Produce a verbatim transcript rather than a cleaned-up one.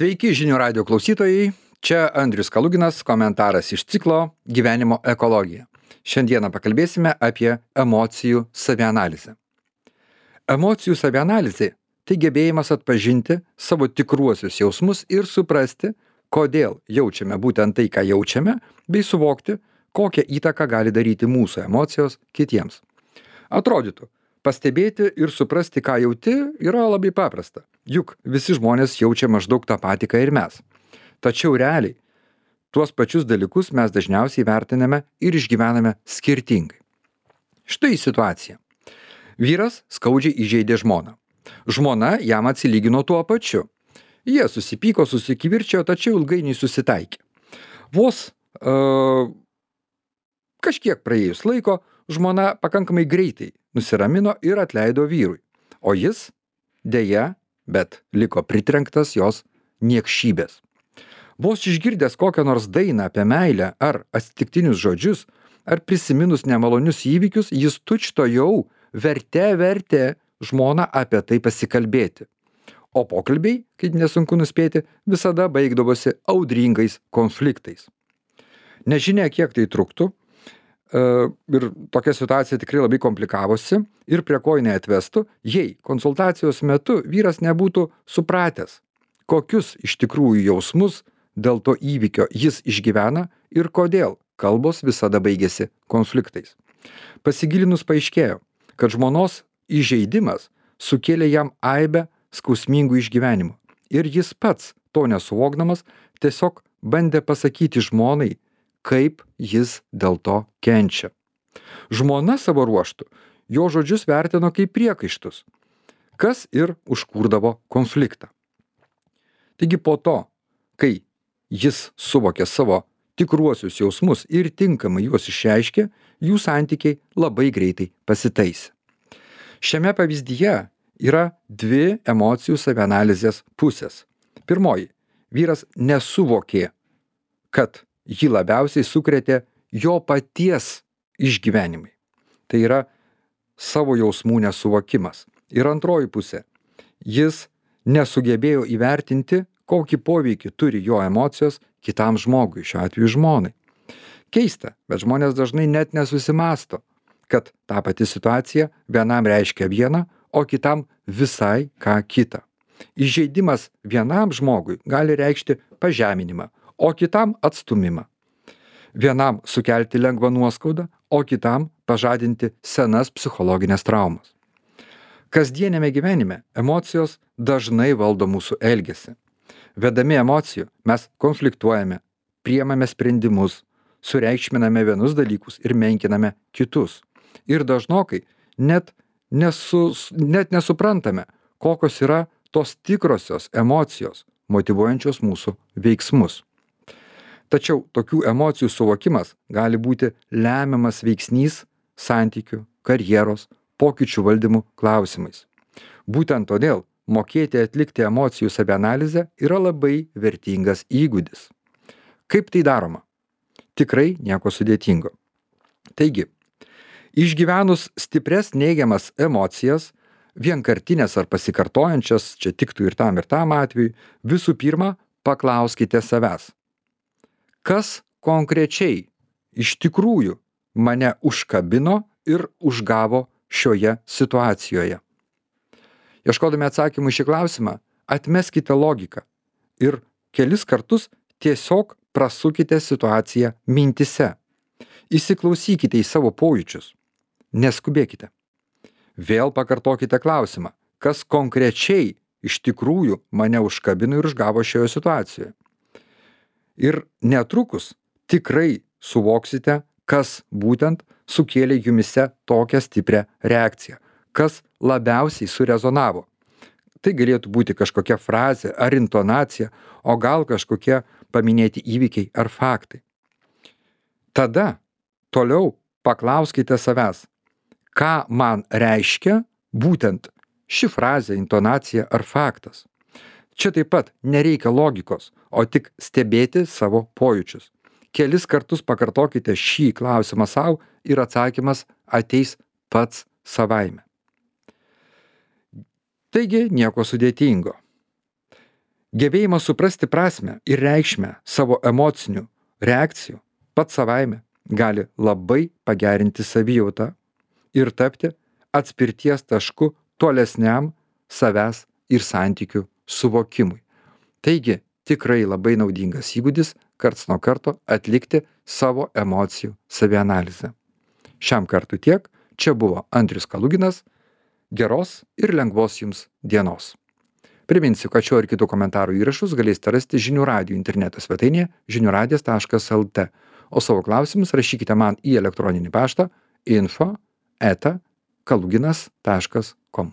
Sveiki žinių radio klausytojai, čia Andrius Kaluginas, komentaras iš ciklo Gyvenimo ekologija. Šiandieną pakalbėsime apie emocijų savianalizę. Emocijų savianalizė – tai gebėjimas atpažinti savo tikruosius jausmus ir suprasti, kodėl jaučiame būtent tai, ką jaučiame, bei suvokti, kokią įtaką gali daryti mūsų emocijos kitiems. Atrodytų, pastebėti ir suprasti, ką jauti, yra labai paprasta. Juk visi žmonės jaučia maždaug tą patį, ką ir mes. Tačiau realiai, tuos pačius dalykus mes dažniausiai vertiname ir išgyvename skirtingai. Štai situacija. Vyras skaudžiai įžeidė žmoną. Žmona jam atsilygino tuo pačiu. Jie susipyko, susikivirčijo, tačiau ilgainiui susitaikė. Vos uh, kažkiek praėjus laiko, žmona pakankamai greitai nusiramino ir atleido vyrui. O jis, deja, bet liko pritrenktas jos niekšybės. Vos išgirdęs kokią nors dainą apie meilę ar atsitiktinius žodžius, ar prisiminus nemalonius įvykius, jis tučtuojau vertė vertė žmoną apie tai pasikalbėti. O pokalbiai, kaip nesunku nuspėti, visada baigdavosi audringais konfliktais. Nežinia, kiek tai truktų, ir tokia situacija tikrai labai komplikavosi ir prie ko jinai atvestų, jei konsultacijos metu vyras nebūtų supratęs, kokius iš tikrųjų jausmus dėl to įvykio jis išgyvena ir kodėl kalbos visada baigėsi konfliktais. Pasigilinus paaiškėjo, kad žmonos įžeidimas sukėlė jam aibę skausmingų išgyvenimų ir jis pats, to nesuvokdamas, tiesiog bandė pasakyti žmonai, kaip jis dėl to kenčia. Žmona savo ruožtu jo žodžius vertino kaip priekaištus, kas ir užkurdavo konfliktą. Taigi po to, kai jis suvokė savo tikruosius jausmus ir tinkamai juos išreiškė, jų santykiai labai greitai pasitaisė. Šiame pavyzdyje yra dvi emocijų savianalizės pusės. Pirmoji, vyras nesuvokė, kad jį labiausiai sukrėtė jo paties išgyvenimai. Tai yra savo jausmų nesuvokimas. Ir antroji pusė, jis nesugebėjo įvertinti, kokį poveikį turi jo emocijos kitam žmogui, šiuo atveju žmonai. Keista, bet žmonės dažnai net nesusimąsto, kad ta pati situacija vienam reiškia vieną, o kitam visai ką kitą. Įžeidimas vienam žmogui gali reikšti pažeminimą, o kitam atstūmimą. Vienam sukelti lengvą nuoskaudą, o kitam pažadinti senas psichologinės traumas. Kasdienėme gyvenime emocijos dažnai valdo mūsų elgesį. Vedami emocijų mes konfliktuojame, priimame sprendimus, sureikšminame vienus dalykus ir menkiname kitus. Ir dažnokai net, nesu, net nesuprantame, kokios yra tos tikrosios emocijos, motyvuojančios mūsų veiksmus. Tačiau tokių emocijų suvokimas gali būti lemiamas veiksnys santykių, karjeros, pokyčių valdymų klausimais. Būtent todėl mokėti atlikti emocijų savianalizę yra labai vertingas įgūdis. Kaip tai daroma? Tikrai nieko sudėtingo. Taigi, išgyvenus stipres neigiamas emocijas, vienkartinės ar pasikartojančias, čia tiktų ir tam ir tam atveju, visų pirma, paklauskite savęs. Kas konkrečiai iš tikrųjų mane užkabino ir užgavo šioje situacijoje? Ieškodami atsakymų į šį klausimą, atmeskite logiką ir kelis kartus tiesiog prasukite situaciją mintise. Įsiklausykite į savo pojūčius. Neskubėkite. Vėl pakartokite klausimą, kas konkrečiai iš tikrųjų mane užkabino ir užgavo šioje situacijoje. Ir netrukus tikrai suvoksite, kas būtent sukėlė jumise tokią stiprią reakciją, kas labiausiai surezonavo. Tai galėtų būti kažkokia frazė ar intonacija, o gal kažkokie paminėti įvykiai ar faktai. Tada toliau paklauskite savęs, ką man reiškia būtent ši frazė, intonacija ar faktas. Čia taip pat nereikia logikos, o tik stebėti savo pojūčius. Kelis kartus pakartokite šį klausimą savo ir atsakymas ateis pats savaime. Taigi nieko sudėtingo. Gebėjimas suprasti prasmę ir reikšmę savo emocinių reakcijų pats savaime gali labai pagerinti savijautą ir tapti atspirties tašku tolesniam savęs ir santykių suvokimui. Taigi, tikrai labai naudingas įgūdis karts nuo karto atlikti savo emocijų savianalizę. Šiam kartui tiek. Čia buvo Andrius Kaluginas. Geros ir lengvos jums dienos. Priminsiu, kad šio ir kitų komentarų įrašus galėsite rasti žinių radijo interneto svetainėje žinių radijas taškas el tė, o savo klausimus rašykite man į elektroninį paštą info eta kaluginas taškas kom.